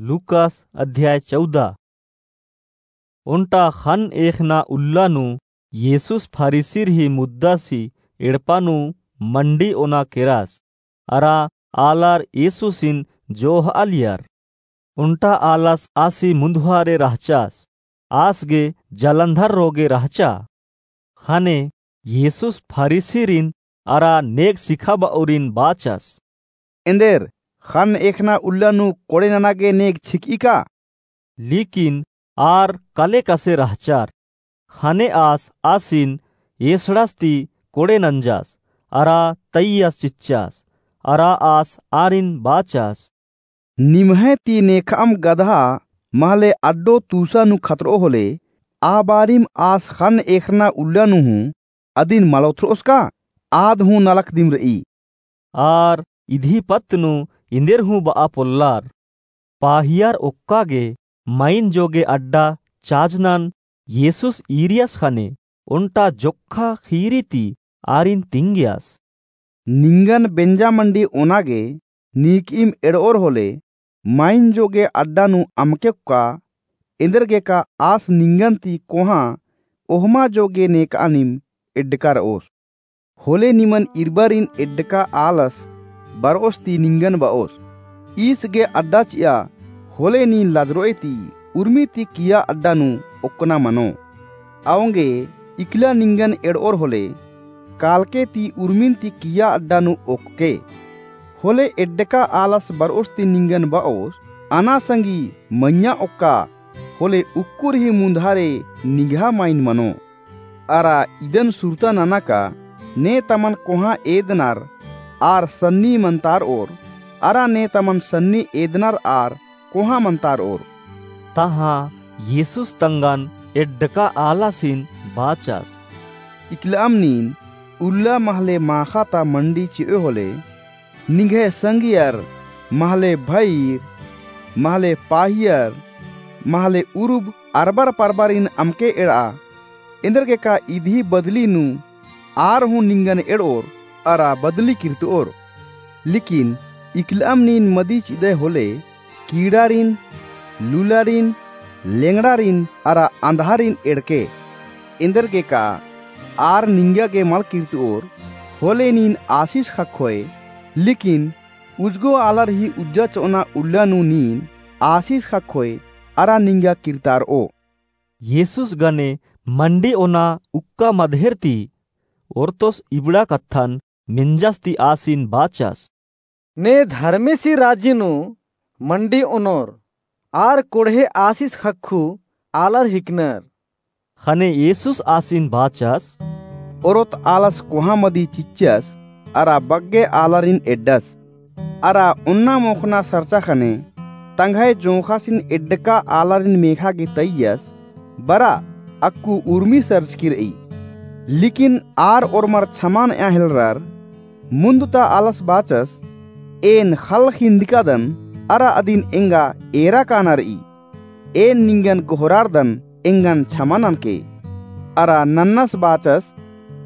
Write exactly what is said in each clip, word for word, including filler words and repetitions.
लूकास अध्याय चौदह। ओन्टा ख़न्न एख़ना उल्ला नू येसुस फरीसिर ही मुद्दासी एड़पा नू मण्डी ओना केरास। अरा आलर येसुसिन जोह'आलियर। ओन्टा आलस आसी मुन्दुहारे रहचास, आस गे जलन्धर रोगे रहचा। ख़ने येसुस फरीसिरिन अरा नेग सिखाब'ओरिन बाचस, एन्देर ख़न्न एख़ना उल्ला नू कोड़े नना गे नेग छिक'ई का? लेकिन आर कले कसे रहचर। ख़ने आस आसिन एसड़स ती कोड़े नंजस, अरा तैयस चिच्चस, अरा आस आरिन बाचस, निम्है ती नेख'अम गदहा महले अड्डो तूसा नू खतर'ओ होले, आ बारिम आस ख़न्न एख़ना उल्ला नू हूँ अदिन मल ओथ्र'ओस का? आद हूँ नलख दिम र'ई। आर इदी पत्त नू एन्देर हूँ ब'आ पोल्लर। पाहियर ओक्का गे माइन जोगे अड्डा चाजनन येसुस ईरियस ख़ने ओन्टा जोक्खा ख़ीरी ती आरिन तिंगियस, निंगन बेंजा मण्डी ओना गे नीक'इम एड़'ओर होले, माइन जोगे अड्डा नू अमके ओक्का। एन्देरगेका आस निंगन ती कोहाँ ओहमा जोगे नेक'अनिम एड्डका र'ओस। होले निमन इरबारिन एड्डका आलस बर'ओस ती निंगन ब'ओस। ईस गे अड्डा चि'आ होले नीन लजर'ओय ती उर्मी ती किय्या अड्डा नू ओक्कना मनो। औंगे इकला निंगन एड़'ओर होले, कालके ती उर्मिन ती किय्या अड्डा नू ओक्कके। होले एड्डका आलस बर'ओस ती निंगन ब'ओस, अना संगी मइय्याँ ओक्का, होले उक्कुर ही मुन्धारे निंग्है माइन मनो। अरा इदन सुरता नना का, ने तमन कोहाँ एदनर आर सन्नी मन्तार'ओर, अरा ने तमन सन्नी एदनर आर कोहाँ मन्तार'ओर। तहाँ येसुस तंगन एड्डका आलासिन बाचस, इकला'अम नीन उल्ला महले माख़ा ता मण्डी चि'ओय होले, निंग्है संगियर, महले भइर, महले पाहियर, महले उरुब अरबर परबारिन अमके एड़'आ। एन्देरगेका इदी बदली नू आर हूँ निंगन एड़'ओर अरा बदली किर्त'ओर। लेकिन इकला'अम नीन मदी चि'दय होले, कीड़ारिन, लूलारिन, लेंगड़ारिन अरा अंधारिन एड़के। एन्देरगेका आर निंगा गे मल किर्त'ओर, होले नीन आसिस ख़क्खोय। लेकिन उजगो आलर ही उज्जा चो'अना उल्ला नू नीन आसिस ख़क्खोय अरा निंगा किर्तार'ओ। येसुस गने मण्डी ओना उक्का मदहेर ती ओर्तोस इबड़ा कत्थन मेंजस ती आसिन बाचस, ने धर्मेसी राजी नू मण्डी ओनोर, आर कोड़हे आसिस ख़क्खु आलर हिकनर। ख़ने येसुस आसिन बाचस, ओरोत आलस कोहाँ मदी चिच्चस अरा बग्गे आलारिन एड्डस। अरा ओन्ना मोख़ना सरचा ख़ने तंग्है जोंख़ासिन एड्डका आलारिन मेख़ा गे तइयस, बरा अक्कु उर्मी सरचकी र'ई। लेकिन आर ओर्मर छमा न'आ हेलरर। मुन्द ता आलस बाचस, एन ख़ल्ल ख़िंदकादन अरा अदिन एंगा एरा काना र'ई। एन निंगन गोहरारदन एंगन छमा ननके। अरा नन्नस बाचस,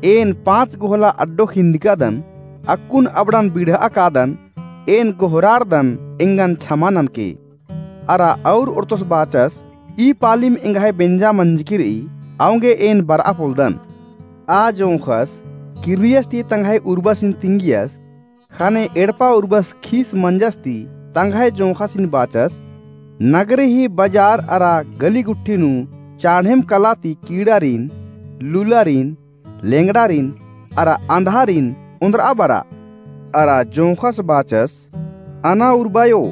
एन पाँच गोहला अड्डो ख़िंदकादन, अक्कुन अबड़न बिड़'आ कादन, एन गोहरारदन एंगन छमा ननके। अरा अउर ओर्तोस बाचस, ई पालिम एंग्है बेंजा मंजकी र'ई, औंगे एन बर'आ पोलदन। आ जोंख़स किर्रियस ती तंग्है उर्बसिन तिंगियस, ख़ने एड़पा उर्बस खीस मंजस ती तंग्है जोंख़ासिन बाचस, नगरे ही बजार अरा गली गुट्ठी नू चाढ़ेम कला ती कीड़ारिन, लूलारिन, लेंगड़ारिन अरा अंधारिन ओन्द्र'आ बरा। अरा जोंख़स बाचस, अना उर्बायो,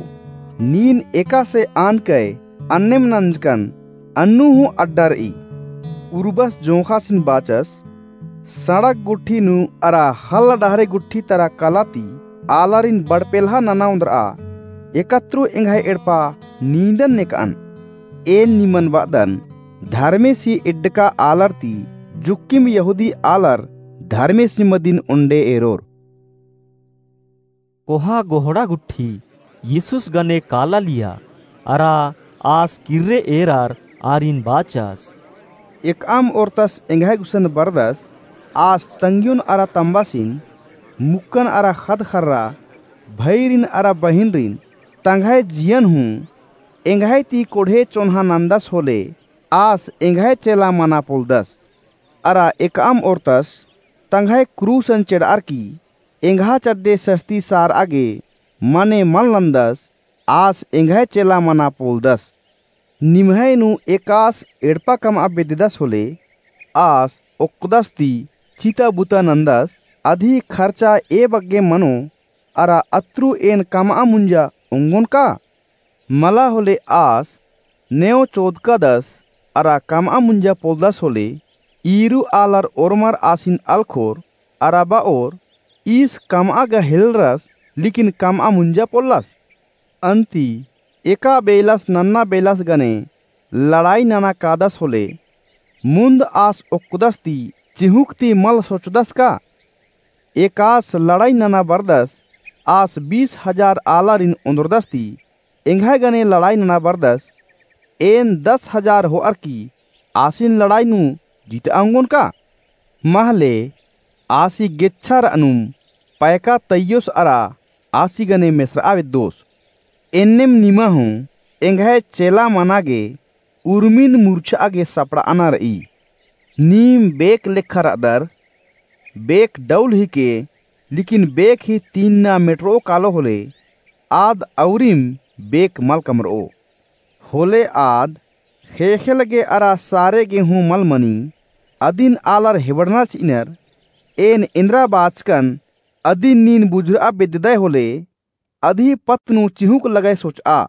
नीन एकासे आनकय अन्नेम नंजकन, अन्नु हूँ अड्डा र'ई। उर्बस जोंख़ासिन बाचस, सड़क गुट्ठी नू अरा ख़ल्ल डहरे गुट्ठी तरा कला ती आलारिन बड़पेल्हा नना ओन्द्र'आ, एकत्रू एंग्है एड़पा नींदन नेक'अन। एन निमन ब'अदन, धर्मेसी एड्डका आलर ती जुक्किम यहूदी आलर धर्मेसी मदिन ओन्डे एरोर। कोहाँ गोहड़ा गुट्ठी येसुस गने कालालिया, अरा आस किर्रे एरर आरिन बाचस। एकअम ओर्तस एंग्है गुसन बरदस, आस तंग्योन अरा तम्बासिन, मुक्कन अरा ख़द्द ख़र्रा, भइरिन अरा बहिनरिन, तंग्है जियन हूँ एंग्है ती कोढ़े चोन्हा नन्दस होले आस एंग्है चेला मना पोलदस। अरा एकअम ओर्तस तंग्है क्रूसन चेड़अर की एंग्हा चड्डे सस्ती सारआ गे मने मल नन्दस, आस एंग्है चेला मना पोलदस। निम्है नू एकास एड़पा कमआ बेद्ददस होले, आस ओक्कदस ती चिता बुता नन्दस, अदी खर्चा ए बग्गे मनो, अरा अत्रु एन कमआ मुंजा ओंगोन का? मला होले आस नेव चोदकादस, अरा कमआ मुंजा पोलदस होले, ईरू आलर ओर्मर आसिन अलखोर, अरा बओर, ईस कमआ गा हेलरस, लेकिन कमआ मुंजा पोल्लस। अन्ती एका बेलस नन्ना बेलस गने लड़ाई नना कादस होले, मुन्द आस ओक्कदस ती चिहुँक ती मल सोचदस का? एकास लड़ाई नना बरदस, आस बीस हजार आलारिन ओन्द्रदस ती एंग्है गने लड़ाई नना बरदस, एन दस हजार होअर की आसिन लड़ाई नू जितआ ओंगोन का? महले आसी गेच्छा रअनुम पैका तइयोस अरा आसी गने मेसरआ बेद्दोस। एन्नेम निमा हूँ एंग्है चेला मना गे उर्मिन मुर्छआ गे सपड़अना रई। नीम बेक लेखा रअदर, बेक डौल हिके, लेकिन बेक ही तीन्ना मेटरओ कालो होले, आद औरिम बेक मल कमरओ। होले आद ख़ेख़ेल गे अरा सारे गे हूँ मल मनी, अदिन आलर हेबड़ना चिअनर, एन एन्दरा बाचकन अदिन नीन बुझुरआ बेद्ददय होले, अदी पत्त नू चिहुँक लगय सोचआ।